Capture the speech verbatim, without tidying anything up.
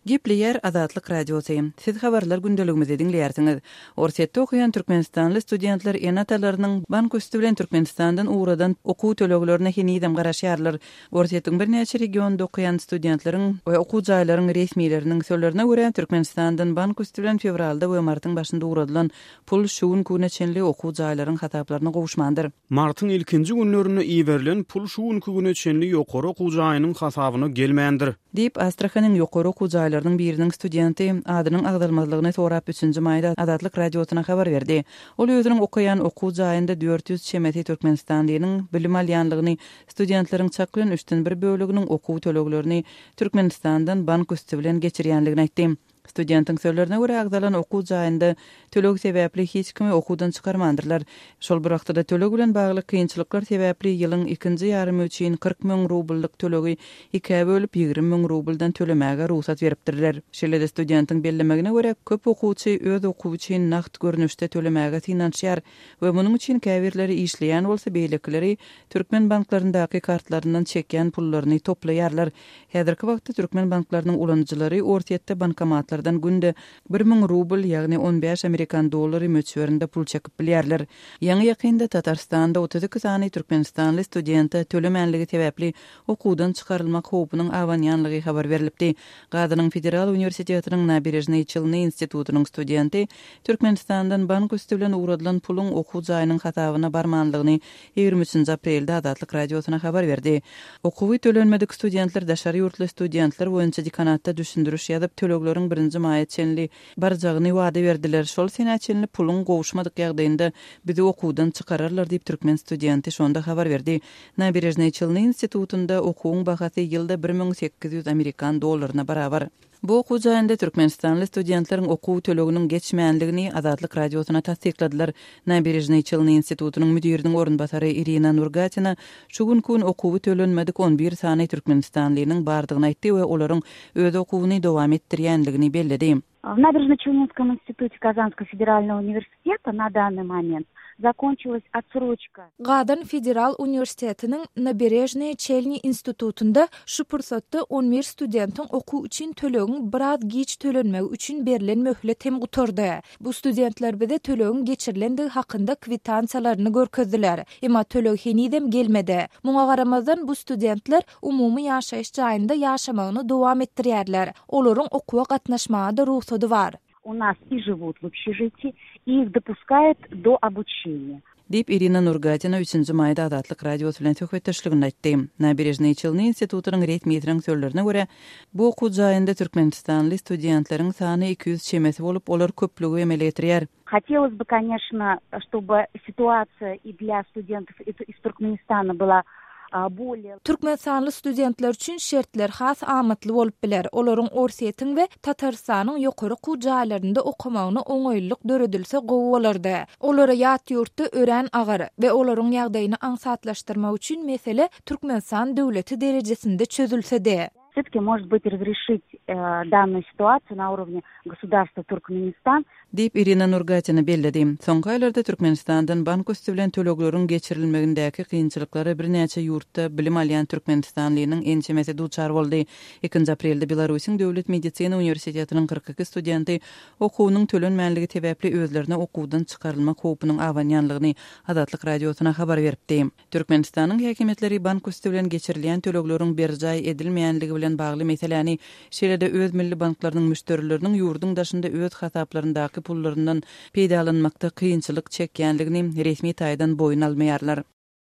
Gepleýär Azatlyk Radiosy. Siz habarlar gündeligimizi diňleýärsiňiz. Orsýetde okaýan türkmenistanly studentler ene-atalarynyň bank üsti bilen Türkmenistandan ugradan okuw töleglerine henizem garaşýarlar. Orsýetiň birnäçe regionynda okaýan studentleriň we okuw jaýlaryň resmileriniň sözlerine görä, Türkmenistandan bank üsti bilen fewralda we martyň başynda ugradylan pul şu günki güne çenli okuw jaýlaryň hasaplaryna gowuşmandyr. Martyň ilkinji günlerinde iberilen pul şu günki güne çenli ýokary okuw jaýynyň hasabyna gelmändir. Diýip, Astrahanyň ýokary okuw jaýlarynyň biriniň studenti adynyň agzalmazlygyny sorap üçünji maýda Azatlyk Radiosyna habar berdi. Ol özüniň okaýan okuw jaýynda dört ýüz çemesi türkmenistanlynyň bilim alýanlygyny, studentleriň çak bilen üçden bir böleginiň okuw töleglerini Türkmenistandan bank üsti bilen geçirýänligini aýtdy. Studentiň sözlerine görä, agzalan okuw jaýynda töleg sebäpli hiç kimi okuwdan çykarmandyrlar. Şol bir wagtda töleg bilen bagly kynçylyklar sebäpli ýylyň ikinji ýarymy üçin kyrk müň rubllyk tölegi ikä bölüp ýigrimi müň rubldan tölemäge rugsat beripdirler. Şeýle-de studentiň bellemegine görä, köp okuwçy öz okuwy üçin nagt görnüşde tölemäge synanyşýar we munuň üçin käbirleri işleýän bolsa, beýlekileri türkmen banklaryndaky kartlaryndan çekýän pullaryny toplaýarlar. Häzirki wagtda türkmen banklarynyň ulanyjylary Orsýetde bankomatlardan günde bir müň rubl, ýagny on bäş amerikan dollary möçberinde pul çekip bilýärler. Ýaňy ýakynda Tatarstanda otuz iki sany türkmenistanly studente tölemänligi sebäpli okuwdan çykarylmak howpunyň abanýanlygy habar berlipdi. Gazanyň Federal uniwersitetiniň Naberežnyý Çelny institutynyň studenti Türkmenistandan bank üsti bilen ugradylan puluň okuw jaýynyň hasabyna barmanlygyny ýigrimi üçünji aprelde Azatlyk Radiosyna habar berdi. Okuwy tölenmedik studentler daşary ýurtly studentler boýunça dekanatda düşündiriş ýazyp, tölegleriň birinji maýa çenli barjagyny wada berdiler. Şol senä çenli puluň gowuşmadyk ýagdaýynda bizi okuwdan çykararlar diýip türkmen studenti şonda habar berdi. Naberežnyý Çelny institutynda okuwyň bahasy ýylda bir müň sekiz ýüz amerikan dollaryna barabar. Bu okuw jaýynda türkmenistanly studentleriň okuw töleginiň geçmänligini Azatlyk Radiosyna tassykladylar. Naberežnyý Çelny institutynyň müdiriniň orunbasary Irina Nurgatina şu günki gün okuwy tölenmedik on bir sany türkmenistanlynyň bardygyny aýtdy we olaryň öz okuwyny dowam etdirýänligini belledi. В Набережно-Челнинском институте Казанского федерального университета на данный момент закончилась отсрочка. Gazan Federal Universitetiniň Naberežnyý Çelny institutynda şu pursatda on bir studentiň okuw üçin tölegiň biraz giç tölenmegi üçin berlen möhlet hem gutardy. Bu studentler bize tölegiň geçirilendigi hakynda kwitansiýalaryny görkezdiler. Emma töleg henizem gelmedi. Muňa garamazdan bu studentler umumy ýaşaýyş jaýynda ýaşamagyny dowam etdirýärler. Olaryň okuwa gatnaşmaga da rugsady bar. У нас и живут в общежитии, и их допускают до обучения. Diýip Irina Nurgatina üçünji maýda Azatlyk Radiosy bilen söhbetdeşligini aýtdy. Naberežnyý Çelny institutynyň resmiýetiniň sözlerine görä, bu okuw jaýynda türkmenistanly studentleriň sany iki ýüz çemesi bolup, olar köplügi emele getirýär. Хотелось бы, конечно, чтобы ситуация и для студентов из Туркменистана была более Türkmenistanly studentler üçin şertler has amatly bolup biler. Olaryň Orsýetiň we Tatarystanyň ýokary okuw jaýlarynda okamagyna oňaýlylyk döredilse gowy bolardy. Olara ýat ýurtda örän agyr we olaryň ýagdaýyny aňsatlaşdyrmak üçin mesele Türkmenistan döwleti derejesinde çözülse-de. Все-таки, может быть, разрешить, э, данную ситуацию на уровне государства Туркменистан. Diýip Irina Nurgatina belledi. Soňky aýlarda Türkmenistandan bank üsti bilen tölegleriň geçirilmegindäki kynçylyklary birnäçe ýurtda bilim alýan türkmenistanlynyň ençemesi duçar boldy. Ikinji aprelde Belarusyň Döwlet Medisina Universitetiniň kyrk iki studenti okuwynyň tölenmänligi sebäpli özlerine okuwdan çykarylmak howpunyň abanýanlygyny Azatlyk Radiosyna habar beripdi. Türkmenistanyň häkimiýetleri bank üsti bilen geçirilýän tölegleriň berjaý edilmeýänligi bilen bagly meseläni şeýle-de öz milli banklarynyň müşderileriniň ýurduň daşynda öz hasaplaryndaky pullaryndan peýdalanmakda kynçylyk çekýänligini resmi taýdan boýun almaýarlar.